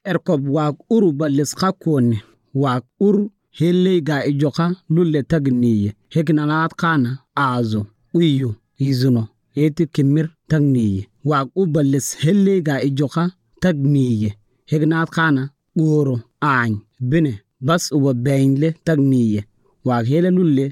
Erkob waag uru balis qakooni waag ur helley ga ijoka lulle tagniye heknalaat qana aazo uyu yizuno eti kimir tagniye waag u balis helley ga ijoka tagniye heknaat qana oro aany bine bas uba beynle tagniye waag hele lulle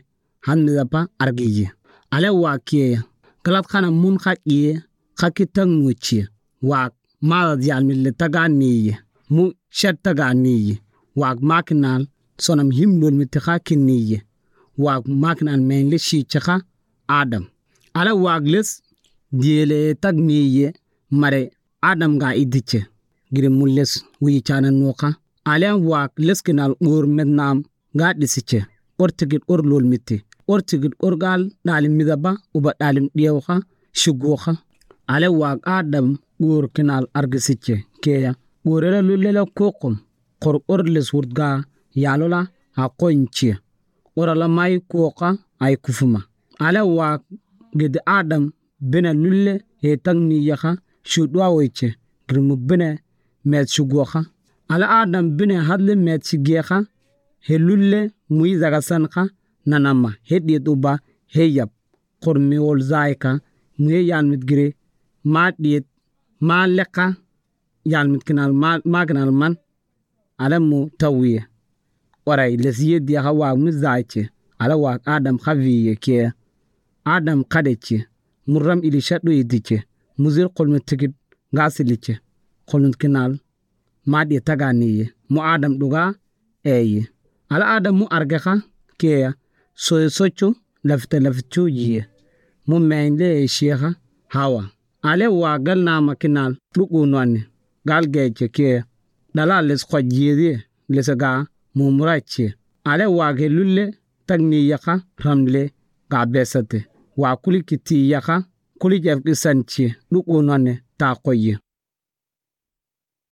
han midapa argiye ale waag kiyeya galat qana mun qaqiye qaki tagnuchiye waag maadad yalmille taganiye mu shed taganiye waag makinal sonam himlol mitiqa kinniye waag makinal menle shiichaqa Adam ala waag les diele tagniye mare Adam ga idiche gire mulles wiichana nuqa ale waag leskinal or mednam ga dhisiche ortigid or lol miti ortigid orgal dhalim midaba uba dhalim dhiyawqa shiguqa ale waag Adam or kinal argisiche keya orela lulela koqum qor orles wurdga yalola aqoynche orala may koqa ay kufuma ale waag ged Adam bina lulle he tagniyaqa shudwawiche girmu bina med shugoqa ale Adam bina hadle med shigeqa he lulle muy zagasanqa nanama he uba he yab qormi wol zaika muye yalmit gire ma dhiyet ma leqa yalmit kinal ma kinal man ale mu tawiye oray lesiyediyaqa waag mi zaiche ale waag Adam xaviye ke Adam qadeche muram ilisha dhuyidiche muzir qolmi tigid gaasiliche qolmit kinal ma dhiye taganiye mu Adam dhugaa eeye ala Adam mu argeqa keya soyo sochu lafta lafchu yiye mu meynle sheekha Hawa ale waa galnaama kinal dhuquunwane gal geeche keya dhala les qojiyediye lesaga mumurache ale waage lulle tagniyaqa ramle ga besate waa kulikitiyaqa kulijefqisanche dhuquunwane taa qoye.